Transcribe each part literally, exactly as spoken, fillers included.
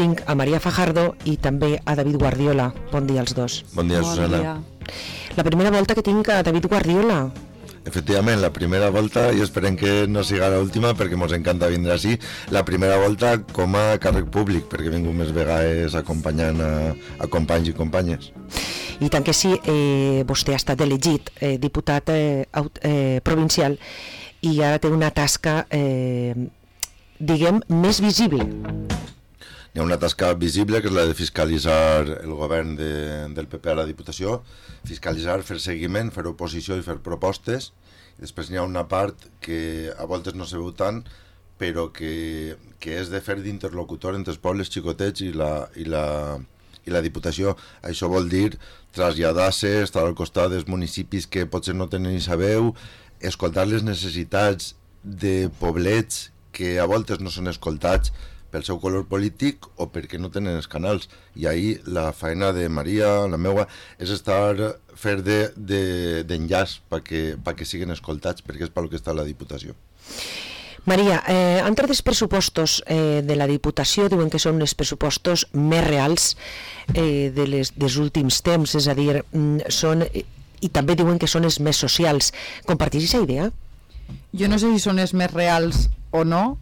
tinc a Maria Fajardo i també a David Guardiola. Bon dia als dos. Bon dia, Bon Susana. dia. La primera volta que tinc a David Guardiola. Efectivament, la primera volta, i esperem que no siga l'última perquè ens encanta vindre així, la primera volta com a càrrec públic, perquè he vingut més vegades acompanyant a, a companys i companyes. I tant que sí, eh, vostè ha estat elegit eh, diputat eh, aut- eh, provincial i ara té una tasca, eh, diguem, més visible. Hi ha una tasca visible, que és la de fiscalitzar el govern de, del P P a la Diputació, fiscalitzar, fer seguiment, fer oposició i fer propostes. I després n'hi ha una part que a voltes no se veu tant, però que, que és de fer d'interlocutor entre els pobles xicotets i la, i la, i la Diputació. Això vol dir traslladar-se, estar al costat dels municipis que potser no tenen ni sabeu, escoltar les necessitats de poblets que a voltes no són escoltats pel seu color polític o perquè no tenen els canals. I ahir la feina de Maria, la meua, és estar fer de, de, d'enllaç perquè, perquè siguin escoltats, perquè és pel que està la Diputació. Maria, eh, entre els pressupostos eh, de la Diputació diuen que són els pressupostos més reals eh, de les, dels últims temps, és a dir, són, i també diuen que són els més socials. Compartís aquesta idea? Jo no sé si són els més reals o no,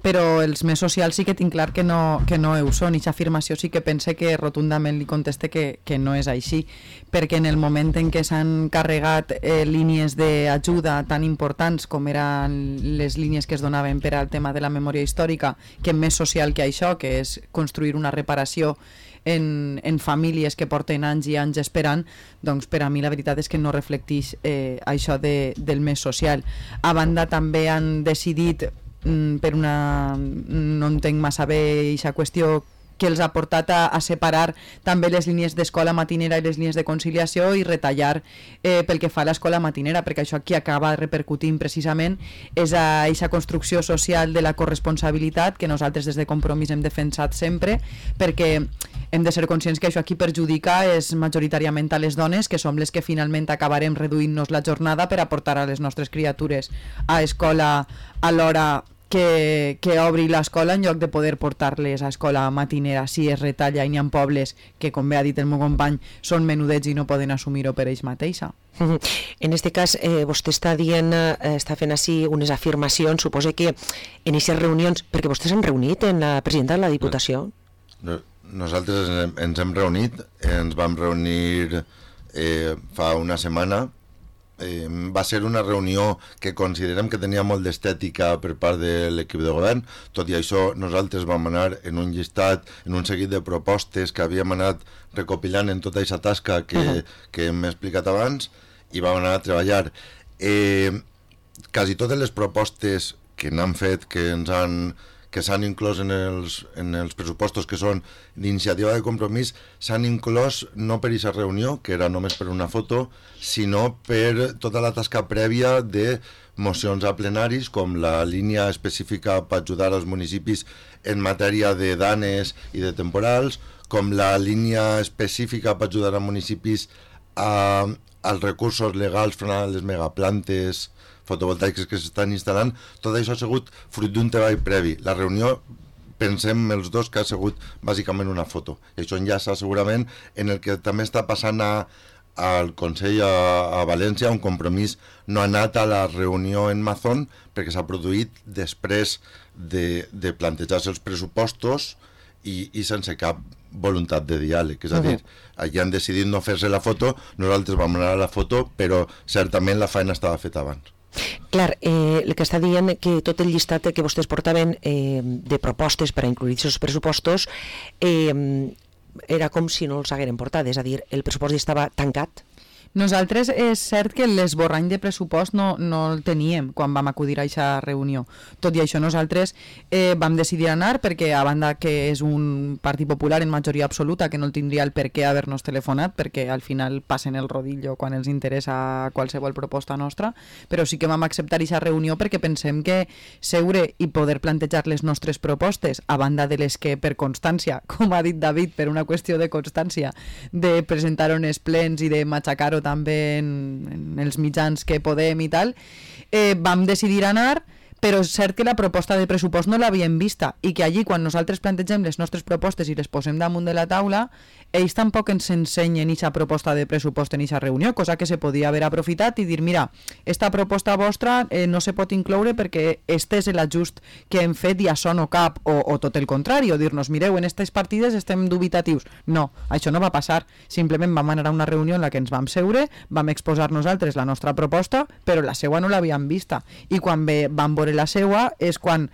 però els més socials sí que tinc clar que no, que no ho són. I aquesta afirmació sí que pense que rotundament li conteste que, que no és així, perquè en el moment en què s'han carregat eh, línies d'ajuda tan importants com eren les línies que es donaven per al tema de la memòria històrica, que més social que això, que és construir una reparació en, en famílies que porten anys i anys esperant, doncs per a mi la veritat és que no reflecteix eh, això de, del més social. A banda també han decidit, per una... no entenc massa bé aquesta qüestió, que els ha portat a, a separar també les línies d'escola matinera i les línies de conciliació i retallar eh, pel que fa a l'escola matinera, perquè això aquí acaba repercutint precisament és a aquesta construcció social de la corresponsabilitat que nosaltres des de Compromís hem defensat sempre, perquè hem de ser conscients que això aquí perjudica és majoritàriament a les dones, que som les que finalment acabarem reduint-nos la jornada per aportar a les nostres criatures a escola a l'hora que, que obri l'escola en lloc de poder portar-les a escola matinera si es retalla i n'hi ha pobles que, com bé ha dit el meu company, són menudets i no poden assumir-ho per ells mateixa. En aquest cas, eh, vostè està dient, eh, està fent així unes afirmacions, suposa que en aquestes reunions, perquè vostès s'han reunit en la presidenta de la Diputació? No, nosaltres ens, ens hem reunit, ens vam reunir eh, fa una setmana. Eh, va ser una reunió que considerem que tenia molt d'estètica per part de l'equip de govern. Tot i això, nosaltres vam anar en un llistat, en un seguit de propostes que havíem anat recopilant en tota aquesta tasca que, uh-huh. que hem explicat abans, i vam anar a treballar. Eh, quasi totes les propostes que n'han fet, que ens han que s'han inclòs en els, en els pressupostos, que són d'iniciativa de Compromís, s'han inclòs no per aquesta reunió, que era només per una foto, sinó per tota la tasca prèvia de mocions a plenaris, com la línia específica per ajudar als municipis en matèria de danes i de temporals, com la línia específica per ajudar a municipis a, als recursos legals front a les megaplantes fotovoltaiques que s'estan instal·lant. Tot això ha sigut fruit d'un treball previ. La reunió, pensem els dos que ha sigut bàsicament una foto. I això enllaça segurament en el que també està passant a, al Consell a, a València. Un Compromís no ha anat a la reunió en Mazón perquè s'ha produït després de, de plantejar-se els pressupostos i, i sense cap voluntat de diàleg. És a dir, allà han decidit no fer-se la foto, nosaltres vam anar a la foto, però certament la feina estava feta abans. Clar, eh, el que està dient que tot el llistat que vostès portaven eh, de propostes per a incluir aquests pressupostos eh, era com si no els hagueren portat, és a dir, el pressupost ja estava tancat. Nosaltres és cert que l'esborrany de pressupost no, no el teníem quan vam acudir a aquesta reunió. Tot i això nosaltres eh, vam decidir anar perquè, a banda que és un partit popular en majoria absoluta, que no el tindria el per què haver-nos telefonat, perquè al final passen el rodillo quan els interessa qualsevol proposta nostra, però sí que vam acceptar aquesta reunió perquè pensem que seure i poder plantejar les nostres propostes, a banda de les que per constància, com ha dit David, per una qüestió de constància, de presentar uns plens i de matxacar-ho també en, en els mitjans que podem i tal, eh, vam decidir anar però és cert que la proposta de pressupost no l'havíem vista i que allí quan nosaltres plantegem les nostres propostes i les posem damunt de la taula, ells tampoc ens ensenyen aquesta proposta de pressupost en aquesta reunió, cosa que se podia haver aprofitat i dir, mira, esta proposta vostra eh, no se pot incloure perquè este és l'ajust que hem fet i això no cap, o, o tot el contrari, o dir-nos, mireu, en aquestes partides estem dubitatius. No, això no va passar, simplement vam anar a una reunió en la que ens vam seure, vam exposar nosaltres la nostra proposta, però la seua no l'havíem vista, i quan ve, vam veure la seua és quan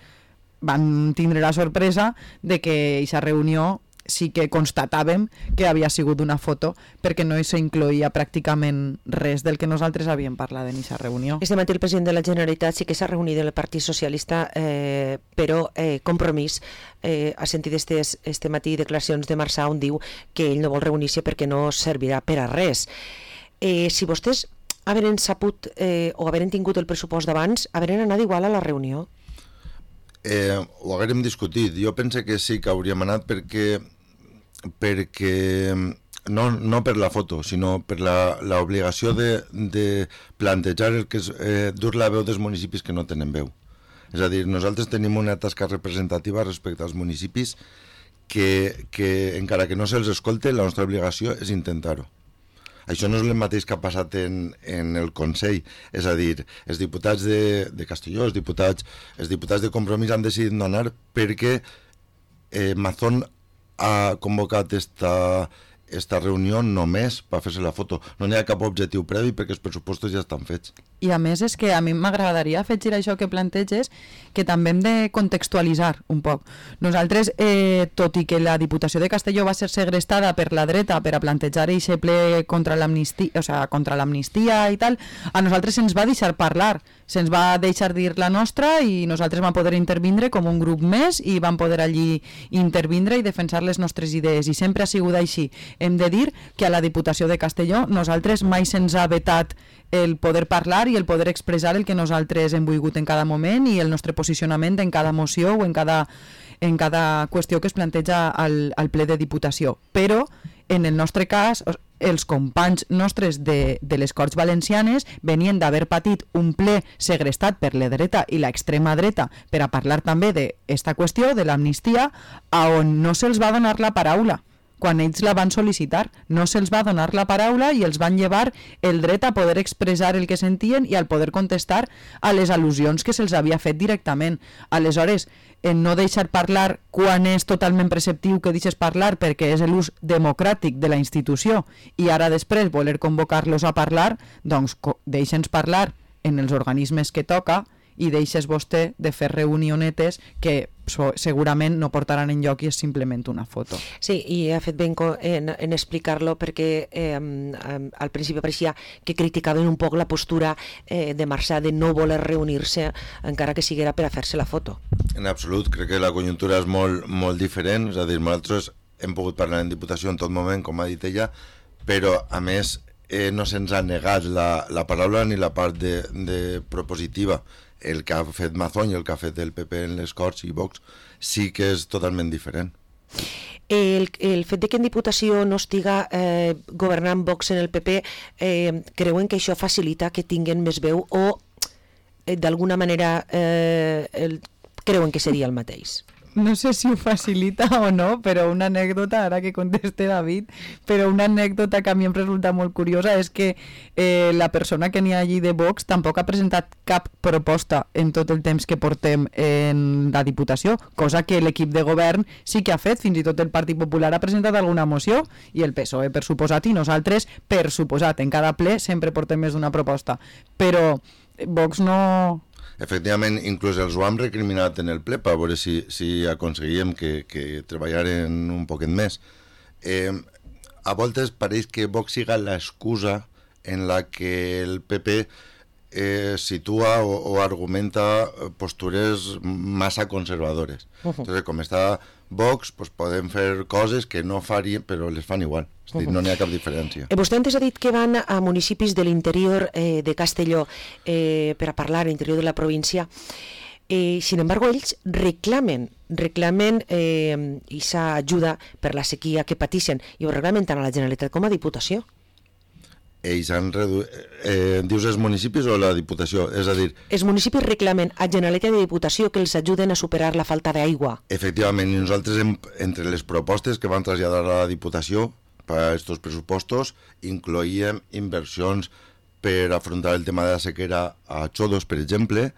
van tindre la sorpresa de que aquesta reunió sí que constatàvem que havia sigut una foto perquè no s'incloïa pràcticament res del que nosaltres havíem parlat en aquesta reunió. Este matí el president de la Generalitat sí que s'ha reunit amb el Partit Socialista, eh, però eh, Compromís eh, ha sentit estes, este matí declaracions de Marçà on diu que ell no vol reunir-se perquè no servirà per a res. Eh, si vostès haveren sabut eh, o haveren tingut el pressupost d'abans, haveren anat igual a la reunió? Eh, ho haguérem discutit. Jo pense que sí que hauríem anat perquè perquè no, no per la foto, sinó per l'obligació de, de plantejar el que és eh, dur la veu dels municipis que no tenen veu. És a dir, nosaltres tenim una tasca representativa respecte als municipis que, que encara que no se'ls escolte, la nostra obligació és intentar-ho. Això no és el mateix que ha passat en, en el Consell, és a dir, els diputats de, de Castelló, els diputats, els diputats de Compromís han decidit no anar perquè eh, Mazón ha convocat esta, esta reunió només per fer-se la foto. No hi ha cap objectiu previ perquè els pressupostos ja estan fets. I a més és que a mi m'agradaria afegir això que planteges, que també hem de contextualitzar un poc. Nosaltres, eh, tot i que la Diputació de Castelló va ser segrestada per la dreta per a plantejar aquest ple contra l'amnistia, o sea, contra l'amnistia i tal, a nosaltres se'ns va deixar parlar, se'ns va deixar dir la nostra i nosaltres vam poder intervindre com un grup més i vam poder allí intervindre i defensar les nostres idees, i sempre ha sigut així. Hem de dir que a la Diputació de Castelló nosaltres mai se'ns ha vetat el poder parlar i el poder expressar el que nosaltres hem volgut en cada moment i el nostre posicionament en cada moció o en cada, en cada qüestió que es planteja al, al ple de Diputació. Però, en el nostre cas, els companys nostres de, de les Corts Valencianes venien d'haver patit un ple segrestat per la dreta i l'extrema dreta per a parlar també d'esta qüestió, de l'amnistia, on no se'ls va donar la paraula. Quan ells la van sol·licitar, no se'ls va donar la paraula i els van llevar el dret a poder expressar el que sentien i al poder contestar a les al·lusions que se'ls havia fet directament. Aleshores, en no deixar parlar quan és totalment preceptiu que deixes parlar perquè és l'ús democràtic de la institució i ara després voler convocar-los a parlar, doncs deixa'ns parlar en els organismes que toca i deixes vostè de fer reunionetes que segurament no portaran en lloc i és simplement una foto. Sí, i ha fet ben en, en explicar-lo perquè eh, al principi pareixia que criticaven un poc la postura eh, de Marçà de no voler reunir-se encara que siguera per a fer-se la foto. En absolut, crec que la conjuntura és molt, molt diferent, és a dir, nosaltres hem pogut parlar en Diputació en tot moment, com ha dit ella, però a més eh, no se'ns ha negat la, la paraula ni la part de, de propositiva. El que ha fet Mazón i el que ha fet el P P en les Corts i Vox sí que és totalment diferent. El, el fet de que en Diputació no estiga eh, governant Vox en el P P, eh, creuen que això facilita que tinguen més veu o eh, d'alguna manera eh, el, creuen que seria el mateix? No sé si ho facilita o no, però una anècdota, ara que conteste David, però una anècdota que a mi em resulta molt curiosa és que eh, la persona que n'hi ha allí de Vox tampoc ha presentat cap proposta en tot el temps que portem en la Diputació, cosa que l'equip de govern sí que ha fet, fins i tot el Partit Popular ha presentat alguna moció i el P S O E per suposat i nosaltres per suposat, en cada ple sempre portem més d'una proposta, però Vox no... Efectivament, inclús els ho hem recriminat en el ple per veure si, si aconseguíem que, que treballaren un poquet més. Eh, a voltes pareix que Vox siga l'excusa en la que el P P eh, situa o, o argumenta postures massa conservadores. Uh-huh. Entonces, com està Vox, pues podem fer coses que no farien, però les fan igual. És a dir, no n'hi ha cap diferència. Eh, vostè antes ha dit que van a municipis de l'interior eh, de Castelló eh, per a parlar a l'interior de la província. Eh, sin embargo, ells reclamen, reclamen eh, aquesta ajuda per la sequia que pateixen i ho reclamen tant a la Generalitat com a Diputació. ells han reduït... Eh, dius els municipis o la Diputació? És a dir... Els municipis reclamen a Generalitat i Diputació que els ajuden a superar la falta d'aigua. Efectivament, i nosaltres, hem, entre les propostes que van traslladar a la Diputació per a aquests pressupostos, incloïem inversions per afrontar el tema de la sequera a Xodos, per exemple,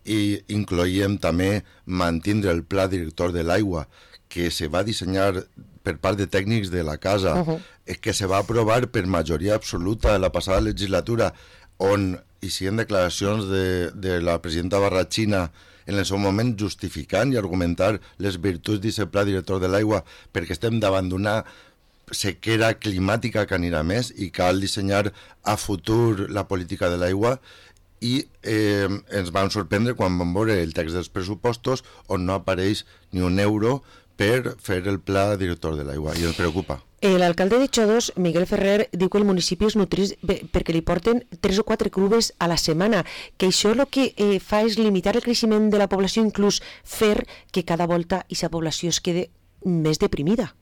i incloïem també mantindre el pla director de l'aigua, que se va dissenyar per part de tècnics de la casa, uh-huh. que se va aprovar per majoria absoluta en la passada legislatura, on hi siguen declaracions de, de la presidenta Barratxina en el seu moment justificant i argumentar les virtuts d'aquest pla director de l'aigua, perquè estem davant d'una sequera climàtica que anirà més i cal dissenyar a futur la política de l'aigua, i eh, ens van sorprendre quan vam veure el text dels pressupostos on no apareix ni un euro per fer el pla director de l'aigua, i ens preocupa. L'alcalde de Xodos, Miguel Ferrer, diu que el municipi es nutrís perquè li porten tres o quatre clubes a la setmana, que això el que eh, fa és limitar el creixement de la població, inclús fer que cada volta aquesta població es quede més deprimida.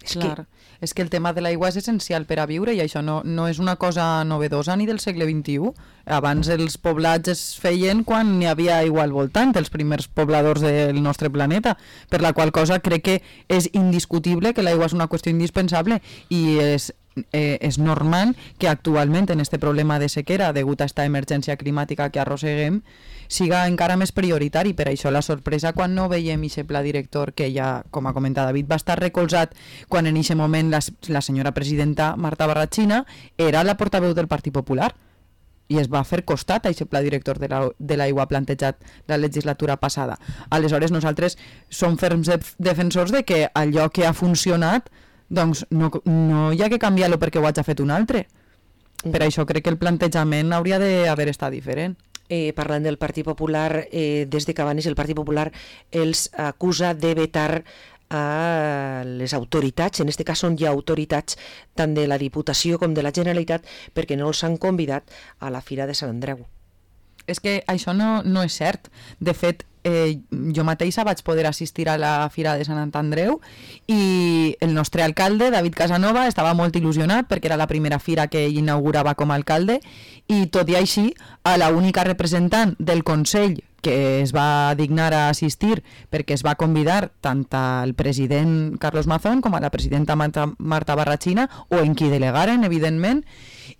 És Clar, que... és que el tema de l'aigua és essencial per a viure, i això no, no és una cosa novedosa ni del segle vint-i-u. Abans els poblats es feien quan n'hi havia aigua al voltant, els primers pobladors del nostre planeta, per la qual cosa crec que és indiscutible que l'aigua és una qüestió indispensable, i és Eh, és normal que actualment en este problema de sequera, degut a esta emergència climàtica que arrosseguem, siga encara més prioritari. Per això la sorpresa quan no veiem aquest pla director, que ja, com ha comentat David, va estar recolzat quan en aquest moment la, la senyora presidenta Marta Barratxina era la portaveu del Partit Popular, i es va fer costat a aquest pla director de, la, de l'aigua plantejat la legislatura passada. Aleshores nosaltres som ferms defensors de que allò que ha funcionat, doncs no, no hi ha que canviar-lo perquè ho hagi fet un altre. Per això crec que el plantejament hauria d'haver estat diferent. Eh, parlant del Partit Popular, eh, des de Cabanes el Partit Popular els acusa de vetar a les autoritats, en aquest cas són ja autoritats tant de la Diputació com de la Generalitat, perquè no els han convidat a la Fira de Sant Andreu. És que això no, no és cert. De fet, eh, jo mateixa vaig poder assistir a la Fira de Sant Andreu i el nostre alcalde, David Casanova, estava molt il·lusionat perquè era la primera fira que ell inaugurava com a alcalde, i tot i així, a la única representant del Consell que es va dignar a assistir, perquè es va convidar tant al president Carlos Mazón com a la presidenta Marta, Marta Barratxina, o en qui delegaren, evidentment,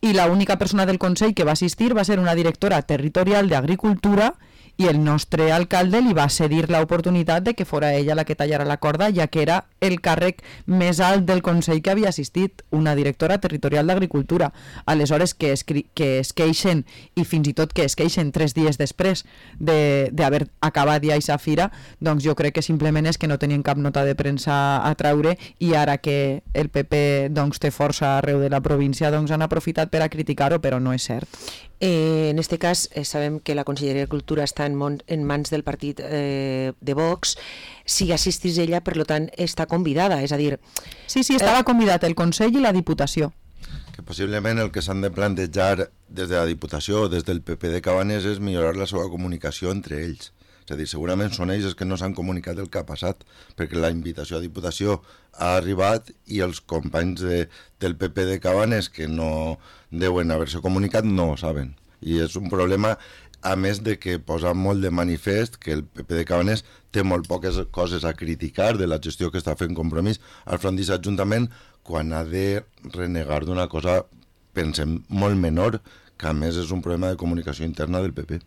i l'única persona del Consell que va assistir va ser una directora territorial d'Agricultura, i el nostre alcalde li va cedir l'oportunitat de que fora ella la que tallara la corda, ja que era el càrrec més alt del Consell que havia assistit, una directora territorial d'Agricultura. Aleshores, que es, que es queixen, i fins i tot que es queixen tres dies després d'haver de, acabat ja aquesta fira, doncs jo crec que simplement és que no tenien cap nota de premsa a traure, i ara que el P P doncs, té força arreu de la província, doncs han aprofitat per a criticar-ho, però no és cert. Eh, en este cas, eh, sabem que la Conselleria de Cultura està en, mon, en mans del partit eh, de Vox. Si assistís ella, per tant, està convidada, és a dir... Sí, sí, estava eh... convidat el Consell i la Diputació. Que possiblement el que s'han de plantejar des de la Diputació o des del P P de Cabanes és millorar la seva comunicació entre ells. És a dir, segurament són ells els que no s'han comunicat el que ha passat, perquè la invitació a Diputació ha arribat i els companys de, del P P de Cabanes, que no deuen haver-se comunicat, no ho saben. I és un problema, a més de que posa molt de manifest que el P P de Cabanes té molt poques coses a criticar de la gestió que està fent Compromís al front d'aquest ajuntament, quan ha de renegar d'una cosa, pensem, molt menor, que a més és un problema de comunicació interna del P P.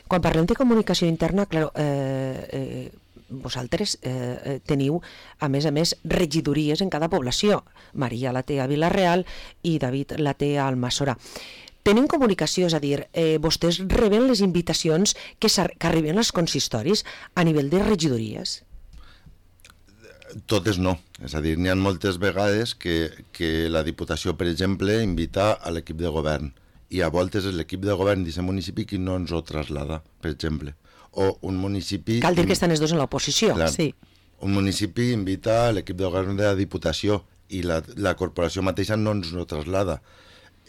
Quan parlem de comunicació interna, clar, eh, eh, vosaltres eh, teniu, a més a més, regidories en cada població. Maria la té a Vila-real i David la té a Almassora. Tenen comunicació, és a dir, eh, vostès reben les invitacions que, que arriben als consistoris a nivell de regidories? Totes no. És a dir, n'hi ha moltes vegades que, que la Diputació, per exemple, invita a l'equip de govern, i a voltes és l'equip de govern d'aquest municipi qui no ens ho traslada, per exemple. O un municipi... Cal dir que estan els dos en l'oposició. Clar, sí. Un municipi invita a l'equip de govern de la Diputació i la, la corporació mateixa no ens ho traslada.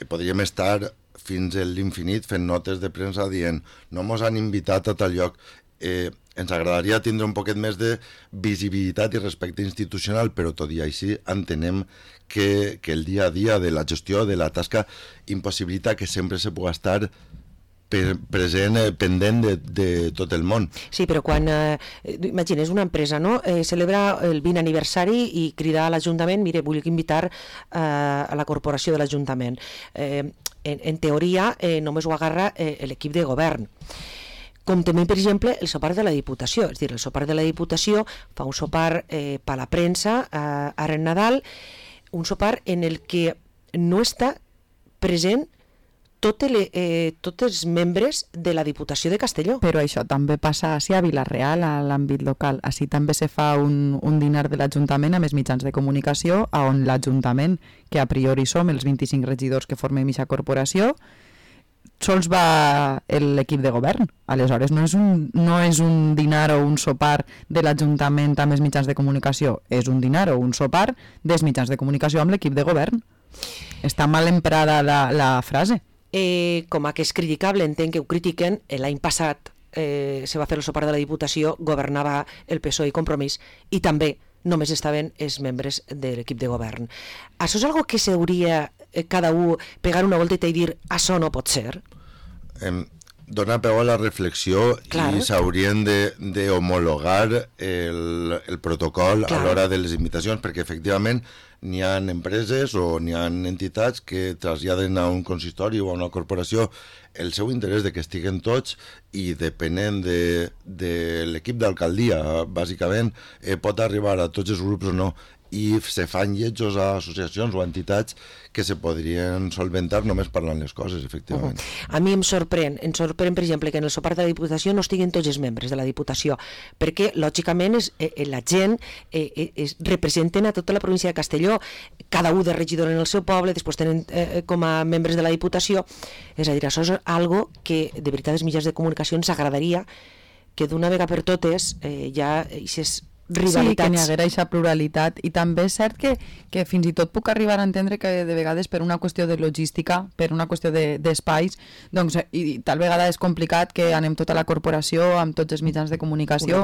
I podríem estar fins a l'infinit fent notes de premsa dient no mos han invitat a tal lloc. Eh, ens agradaria tindre un poquet més de visibilitat i respecte institucional, però tot i així entenem que, que el dia a dia de la gestió de la tasca impossibilita que sempre se pugui estar present, eh, pendent de, de tot el món. Sí, però quan, eh, imagines, una empresa, no?, eh, celebra el vint aniversari i crida a l'Ajuntament, mire, vull invitar eh, a la corporació de l'Ajuntament. Eh, en, en teoria, eh, només ho agarra eh, l'equip de govern. Com també, per exemple, el sopar de la Diputació. És a dir, el sopar de la Diputació fa un sopar eh, per la premsa, eh, ara en Nadal, un sopar en el que no està present Tot el, eh, tots els membres de la Diputació de Castelló. Però això també passa així a Vila-real, a l'àmbit local. Així també se fa un, un dinar de l'Ajuntament amb els mitjans de comunicació, on l'Ajuntament, que a priori som els vint-i-cinc regidors que formem aquesta corporació, sols va l'equip de govern. Aleshores, no és, un, no és un dinar o un sopar de l'Ajuntament amb els mitjans de comunicació, és un dinar o un sopar dels mitjans de comunicació amb l'equip de govern. Està mal emprada la, la frase. Eh, com a que és criticable, entenc que ho critiquen, l'any passat eh, se va fer el sopar de la Diputació, governava el P S O E i Compromís, i també només estaven els membres de l'equip de govern. Això és algo que s'hauria eh, cada un pegar una volteta i dir això no pot ser? Eh, dona peu a la reflexió. Clar. I s'haurien d'homologar el, el protocol Clar. A l'hora de les invitacions, perquè efectivament n'hi ha empreses o n'hi ha entitats que traslladen a un consistori o a una corporació el seu interès de que estiguen tots i depenent de, de l'equip d'alcaldia, bàsicament, eh, pot arribar a tots els grups o no, i se fan lletjos a associacions o entitats que se podrien solventar només parlant les coses, efectivament. Uh-huh. A mi em sorprèn, em sorprèn, per exemple, que en el sopar de la Diputació no estiguin tots els membres de la Diputació, perquè, lògicament, és, eh, la gent eh, eh, representen a tota la província de Castelló, cada un de regidor en el seu poble, després tenen eh, com a membres de la Diputació, és a dir, això és algo que, de veritat, els mitjans de comunicació ens agradaria que d'una vegada per totes eh, ja aquestes rivalitats. Sí, que n'hi haguera aquesta pluralitat, i també és cert que, que fins i tot puc arribar a entendre que de vegades per una qüestió de logística, per una qüestió d'espais, de, doncs, i tal vegada és complicat que anem tota la corporació amb tots els mitjans de comunicació,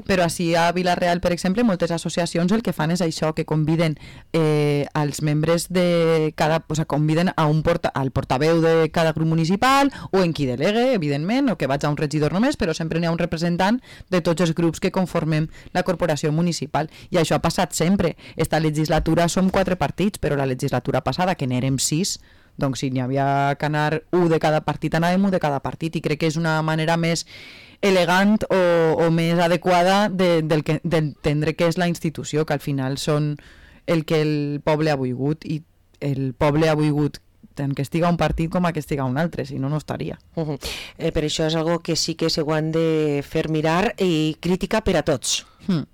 però així a Vila-real, per exemple, moltes associacions el que fan és això, que conviden eh, als membres de cada, o sigui, conviden a un porta, al portaveu de cada grup municipal, o en qui delegue, evidentment, o que vaig a un regidor només, però sempre n'hi ha un representant de tots els grups que conformem la corporació municipal, i això ha passat sempre. Esta legislatura som quatre partits, però la legislatura passada, que n'érem sis, doncs si n'hi havia que anar un de cada partit, anàvem un de cada partit, i crec que és una manera més elegant o, o més adequada de, del que, d'entendre què és la institució, que al final són el que el poble ha volgut, i el poble ha volgut tant que estiga un partit com a que estiga un altre, si no, no estaria. Uh-huh. eh, per això és algo que sí que se ho han de fer mirar, i crítica per a tots. Hmm.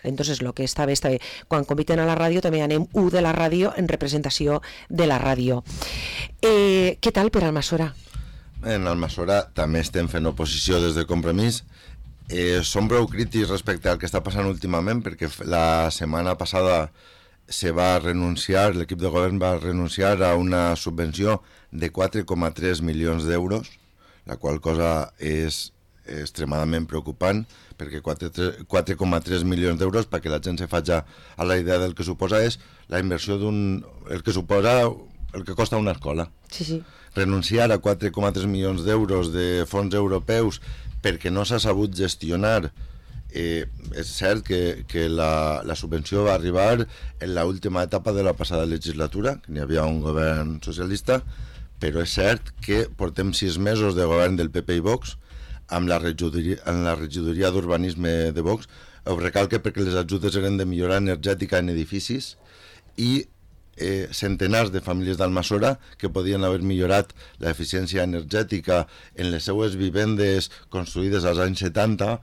Entonces, lo que està bé, està bé. Quan conviten a la ràdio, també anem u de la ràdio en representació de la ràdio. Eh, què tal per Almassora? En Almassora també estem fent oposició des de Compromís. Eh, som prou crítics respecte al que està passant últimament, perquè la setmana passada se va renunciar, l'equip de govern va renunciar a una subvenció de quatre coma tres milions d'euros, la qual cosa és extremadament preocupant, perquè quatre coma tres milions d'euros, perquè la gent se faci a la idea del que suposa, és la inversió d'un... el que suposa el que costa una escola. Sí, sí. Renunciar a quatre coma tres milions d'euros de fons europeus perquè no s'ha sabut gestionar. Eh, és cert que, que la, la subvenció va arribar en l'última etapa de la passada legislatura, que n'hi havia un govern socialista, però és cert que portem sis mesos de govern del P P i Vox, amb la regidoria, en la regidoria d'urbanisme de Vox. Ho recalque perquè les ajudes eren de millora energètica en edificis, i eh, centenars de famílies d'Almassora que podien haver millorat l'eficiència energètica en les seues vivendes construïdes als anys setanta,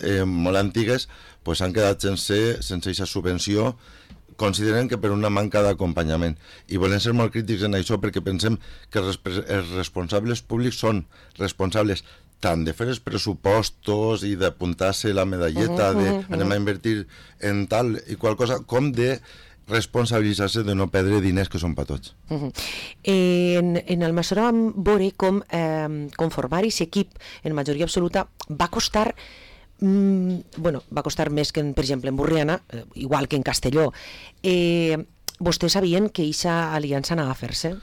eh, molt antigues, pues han quedat sense sense aquesta subvenció. Consideren que per una manca d'acompanyament, i volem ser molt crítics en això, perquè pensem que els responsables públics són responsables tant de fer els pressupostos i d'apuntar-se la medalleta de anem a invertir en tal i qual cosa, com de responsabilitzar-se de no perdre diners que són per tots. Uh-huh. En, en Almassora vam veure com eh, conformar aquest equip en majoria absoluta va costar mm, bueno, va costar més que, en, per exemple, en Borriana, eh, igual que en Castelló. Eh, vostès sabien que aquesta aliança anava a fer-se?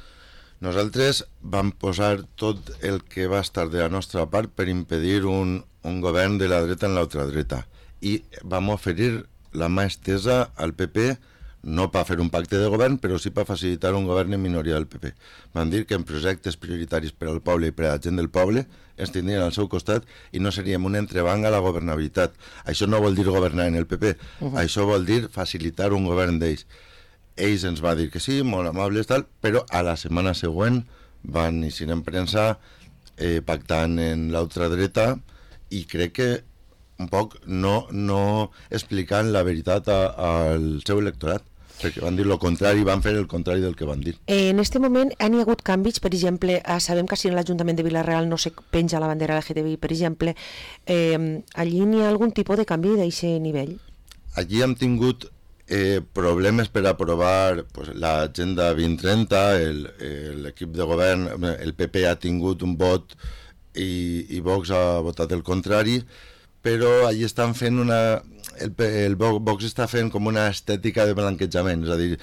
Nosaltres vam posar tot el que va estar de la nostra part per impedir un, un govern de la dreta en l'altra dreta. I vam oferir la mà estesa al P P, no per fer un pacte de govern, però sí per facilitar un govern en minoria del P P. Vam dir que en projectes prioritaris per al poble i per a la gent del poble ens tindrien al seu costat i no seríem un entrebanc a la governabilitat. Això no vol dir governar en el P P, uh-huh. Això vol dir facilitar un govern d'ells. Ells ens va dir que sí, molt amables, tal, però a la setmana següent van eixir en premsa eh, pactant en l'altra dreta i crec que un poc no, no explicant la veritat a, al seu electorat, perquè van dir el contrari, van fer el contrari del que van dir. Eh, en aquest moment han hi hagut canvis, per exemple, eh, sabem que si en l'Ajuntament de Vila-real no se penja la bandera L G T B I, per exemple, eh, allí n'hi ha algun tipus de canvi d'aquest nivell? Allí hem tingut eh, problemes per aprovar pues, l'agenda vint trenta, l'equip de govern, el P P ha tingut un vot i, i Vox ha votat el contrari, però allí estan fent una... El, el Vox està fent com una estètica de blanquejament, és a dir,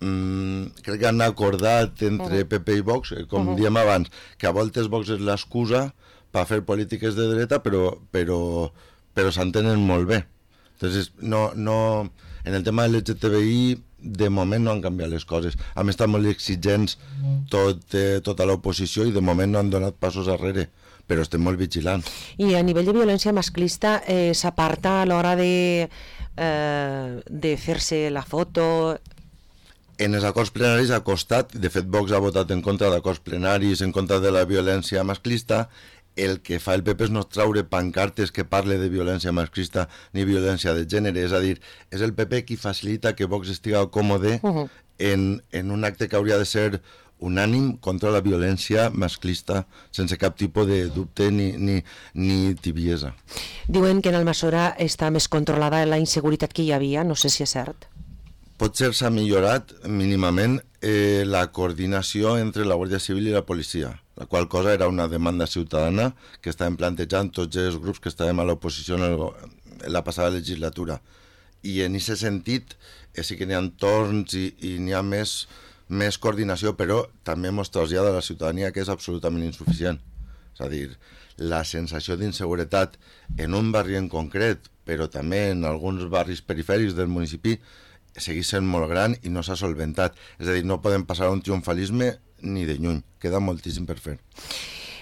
mmm, crec que han acordat entre uh-huh. P P i Vox, com uh-huh. diem abans, que a voltes Vox és l'excusa per fer polítiques de dreta, però, però, però s'entenen molt bé. Entonces, no, no, en el tema L G T B I, de moment no han canviat les coses. Han estat molt exigents tot, eh, tota l'oposició i de moment no han donat passos arrere, però estem molt vigilants. I a nivell de violència masclista eh, s'aparta a l'hora de, eh, de fer-se la foto? En els acords plenaris ha costat, de fet Vox ha votat en contra d'acords plenaris, en contra de la violència masclista. El que fa el P P és no traure pancartes que parle de violència masclista ni violència de gènere, és a dir, és el P P qui facilita que Vox estiga còmode uh-huh. en, en un acte que hauria de ser unànim contra la violència masclista, sense cap tipus de dubte ni, ni, ni tibiesa. Diuen que en Almassora està més controlada la inseguretat que hi havia, no sé si és cert. Potser s'ha millorat mínimament eh, la coordinació entre la Guàrdia Civil i la policia, la qual cosa era una demanda ciutadana que estàvem plantejant tots els grups que estàvem a l'oposició en, el, en la passada legislatura. I en aquest sentit eh, sí que n'hi ha torns i, i n'hi ha més, més coordinació, però també mos trasllada a la ciutadania que és absolutament insuficient. És a dir, la sensació d'inseguretat en un barri en concret, però també en alguns barris perifèrics del municipi, segueix sent molt gran i no s'ha solventat. És a dir, no podem passar a un triomfalisme ni de lluny, queda moltíssim per fer.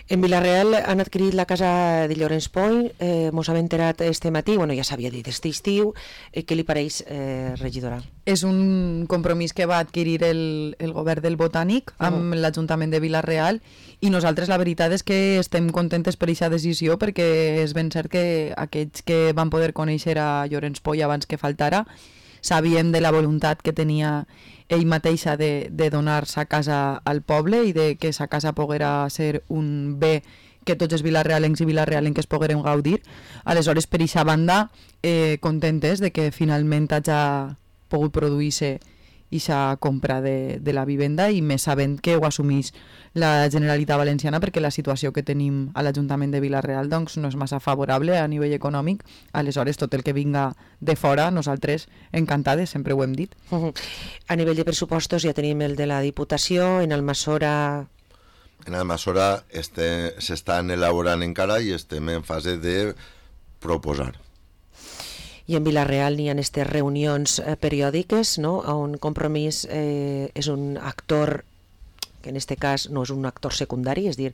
En Vila-real han adquirit la casa de Llorenç Point, eh, mos hem enterat este matí, bueno, ja s'havia dit este estiu, eh, què li pareix, eh, regidora? És un compromís que va adquirir el, el govern del Botànic amb uh-huh. l'Ajuntament de Vila-real i nosaltres la veritat és que estem contentes per aquesta decisió perquè és ben cert que aquells que van poder conèixer a Llorenç Point abans que faltara sabíem de la voluntat que tenia ell mateixa de, de donar-se a casa al poble i de que sa casa poguera ser un bé que tots els vilarrealencs i vilarrealenques poguérem gaudir. Aleshores, per aquesta banda, eh, contentes de que finalment hagi pogut produir-se aquesta compra de, de la vivenda i més sabent que ho assumís la Generalitat Valenciana perquè la situació que tenim a l'Ajuntament de Vila-real doncs, no és massa favorable a nivell econòmic. Aleshores, tot el que vinga de fora, nosaltres encantades, sempre ho hem dit. Uh-huh. A nivell de pressupostos ja tenim el de la Diputació, en Almassora... En Almassora este, s'estan elaborant encara i estem en fase de proposar. I en Vila-real n'hi ha aquestes reunions eh, periòdiques, no? On Compromís eh, és un actor que en aquest cas no és un actor secundari, és dir,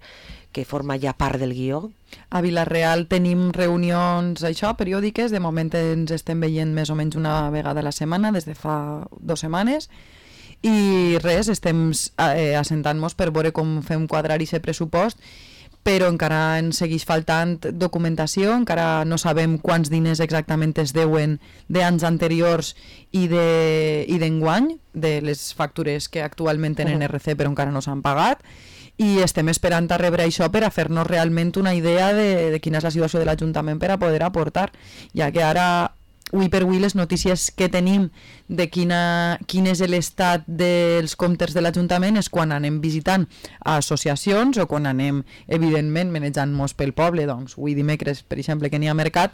que forma ja part del guió. A Vila-real tenim reunions això, periòdiques, de moment ens estem veient més o menys una vegada a la setmana, des de fa dues setmanes, i res, estem eh, assentant-nos per veure com fem quadrar aquest pressupost, però encara ens segueix faltant documentació, encara no sabem quants diners exactament es deuen d'anys anteriors i d'enguany, de, de les factures que actualment tenen R C però encara no s'han pagat, i estem esperant a rebre això per a fer-nos realment una idea de, de quina és la situació de l'Ajuntament per a poder aportar, ja que ara avui per avui les notícies que tenim de quina, quin és l'estat dels comptes de l'Ajuntament és quan anem visitant associacions o quan anem, evidentment, menejant-nos pel poble. Doncs avui dimecres, per exemple, que n'hi ha mercat,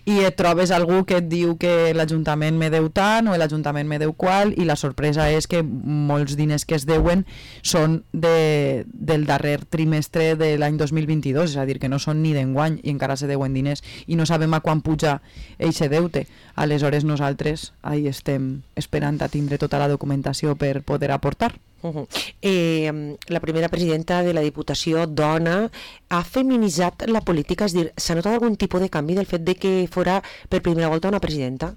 i et trobes algú que et diu que l'Ajuntament me deu tant o l'Ajuntament me deu qual, i la sorpresa és que molts diners que es deuen són de, del darrer trimestre de l'any dos mil vint-i-dos, és a dir, que no són ni d'enguany i encara se deuen diners i no sabem a quan puja eixe deute. Aleshores nosaltres ahí estem esperant a tindre tota la documentació per poder aportar. Uh-huh. eh, la primera presidenta de la Diputació, dona, ha feminitzat la política, és a dir, s'ha notat algun tipus de canvi del fet de que fora per primera volta una presidenta?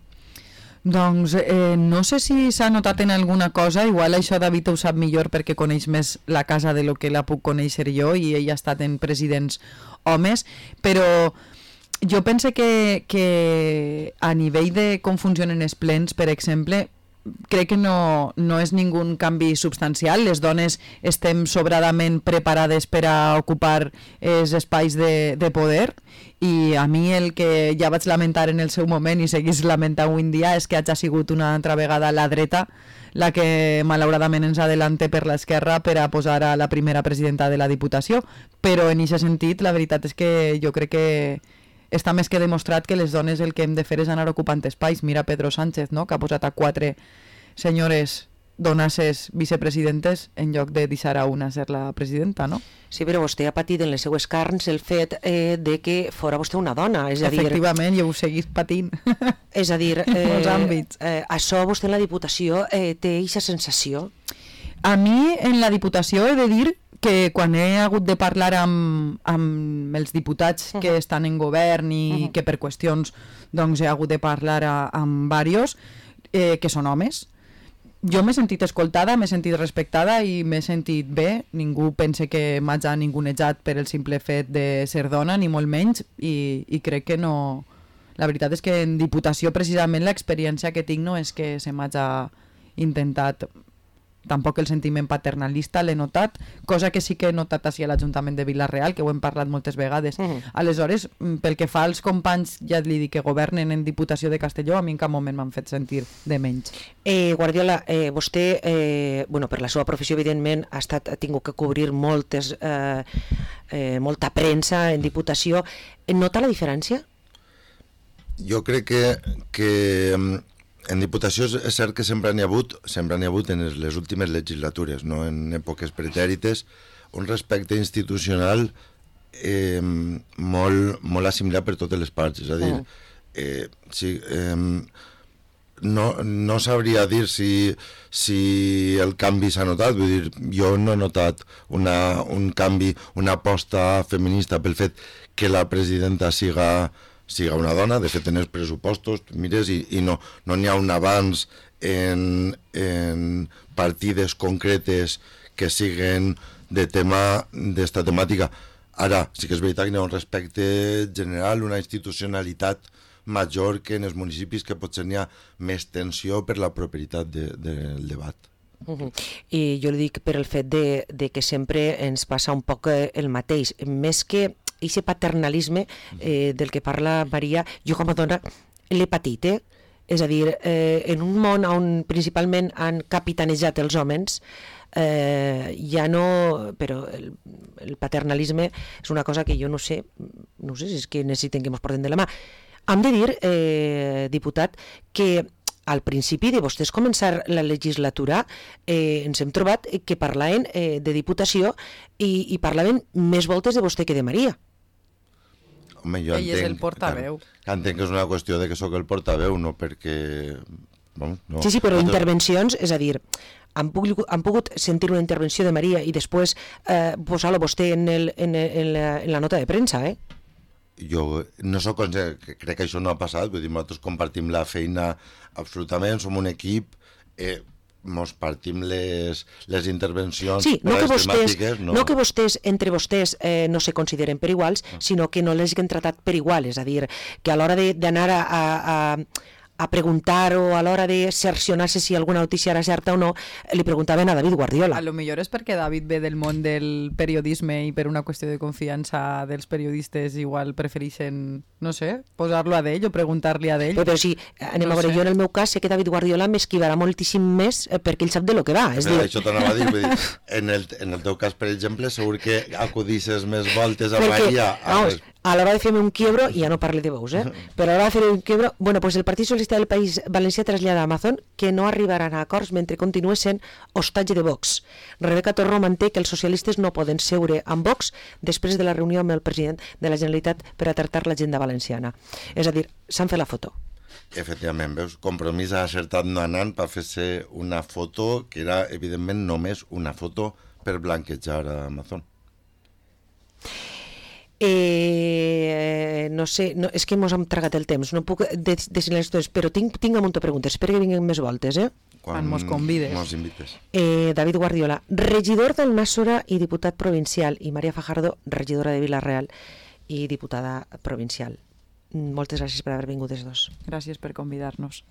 Doncs eh, no sé si s'ha notat en alguna cosa, igual això David ho sap millor perquè coneix més la casa de lo que la puc conèixer jo i ell ha estat en presidents homes, però jo penso que, que a nivell de com funcionen els plens, per exemple, crec que no, no és ningú canvi substancial. Les dones estem sobradament preparades per a ocupar els espais de, de poder, i a mi el que ja vaig lamentar en el seu moment i seguís lamentant avui en dia és que hagi sigut una altra vegada la dreta la que malauradament ens adelante per l'esquerra per a posar a la primera presidenta de la Diputació, però en aquest sentit la veritat és que jo crec que està més que demostrat que les dones el que hem de fer és anar ocupant espais. Mira Pedro Sánchez, no?, que ha posat a quatre senyores donasses vicepresidentes en lloc de deixar a una ser la presidenta, no? Sí, però vostè ha patit en les seues carns el fet eh, de que fora vostè una dona, és a dir... Efectivament, jo ho seguís patint. És a dir, en molts eh, àmbits. Eh, això vostè en la Diputació eh, té aquesta sensació? A mi en la Diputació he de dir que quan he hagut de parlar amb, amb els diputats uh-huh. que estan en govern i uh-huh. que per qüestions doncs, he hagut de parlar a, amb diversos, eh, que són homes, jo m'he sentit escoltada, m'he sentit respectada i m'he sentit bé. Ningú pensa que m'hagi ningunejat per el simple fet de ser dona, ni molt menys, i, i crec que no... La veritat és que en Diputació precisament l'experiència que tinc no és que se m'hagi intentat... Tampoc el sentiment paternalista l'he notat, cosa que sí que he notat així a l'Ajuntament de Vila-real, que ho hem parlat moltes vegades. Uh-huh. Aleshores, pel que fa als companys, ja li dic que governen en Diputació de Castelló, a mi en cap moment m'han fet sentir de menys. Eh, Guardiola, eh, vostè, eh, bueno, per la seva professió, evidentment, ha, estat, ha tingut que cobrir moltes, eh, eh, molta premsa en Diputació. Nota la diferència? Jo crec que... que en Diputació és cert que sempre n'hi ha hagut, sempre n'hi ha hagut en les últimes legislatures, no? En èpoques pretèrites, un respecte institucional eh, molt, molt assimilat per totes les parts. És a dir, eh, sí, eh, no, no sabria dir si, si el canvi s'ha notat, vull dir, jo no he notat una, un canvi, una aposta feminista pel fet que la presidenta siga... siga una dona. De fet en els pressupostos mires i, i no no n'hi ha un avanç en, en partides concretes que siguen de tema d'esta temàtica. Ara, sí que és veritat que hi ha un respecte general, una institucionalitat major que en els municipis, que potser n'hi ha més tensió per la properitat de, del debat. Uh-huh. I jo li dic per el fet de, de que sempre ens passa un poc el mateix, més que aquest paternalisme eh, del que parla Maria, jo com a dona l'he patit, eh? És a dir, eh, en un món on principalment han capitanejat els homes, eh, ja no... Però el, el paternalisme és una cosa que jo no sé, no sé si és que necessiten que ens porten de la mà. Hem de dir, eh, diputat, que al principi de vostès començar la legislatura eh, ens hem trobat que parlaven eh, de Diputació i, i parlaven més voltes de vostè que de Maria. Home, jo Ell entenc, és el portaveu. Entenc que és una qüestió de que sóc el portaveu, no perquè... Bueno, no. Sí, sí, però intervencions, és a dir, han pogut, han pogut sentir una intervenció de Maria i després eh, posar-lo vostè en, el, en, en, la, en la nota de premsa, eh? Jo no soc conscient, crec que això no ha passat, vull dir, nosaltres compartim la feina absolutament, som un equip, eh, mos partim les, les intervencions, sí, no que vostès, no. no que vostès, entre vostès, eh, no se consideren per iguals, sinó que no les han tratat per igual, és a dir, que a l'hora d'anar a, a, a preguntar o a l'hora de cercionar-se si alguna notícia era certa o no, li preguntaven a David Guardiola. A lo millor és perquè David ve del món del periodisme i per una qüestió de confiança dels periodistes igual prefereixen, no sé, posar-lo a d'ell o preguntar-li a d'ell. Però, però si anem No a veure, sé. jo en el meu cas sé que David Guardiola m'esquivarà moltíssim més eh, perquè ell sap de lo que va. És Però dir, això t'anava a dir, vull dir, en el, en el teu cas, per exemple, segur que acudisses més voltes a perquè, Maria. A vamos, a l'hora de fer-me un quiebro, ja no parle de vos, eh? però a l'hora de fer un quiebro, bueno, pues el Partit Socialista del País Valencià trasllada a Amazon que no arribaran a acords mentre continua sent hostatge de Vox. Rebeca Torró manté que els socialistes no poden seure amb Vox després de la reunió amb el president de la Generalitat per a tractar l'agenda valenciana. És a dir, s'han fet la foto. Efectivament, veus, Compromís ha acertat no anant per fer-se una foto que era, evidentment, només una foto per blanquejar a Amazon. Eh, no sé, no, és que mos hem tragat el temps, no puc decidir les coses, però tinc, tinc un munt de preguntes, espero que vinguin més voltes, eh? Quan mos convides. Mos invites. Eh, David Guardiola, regidor d'Almàssora i diputat provincial, i Maria Fajardo, regidora de Vila-real i diputada provincial. Moltes gràcies per haver vingut els dos. Gràcies per convidar-nos.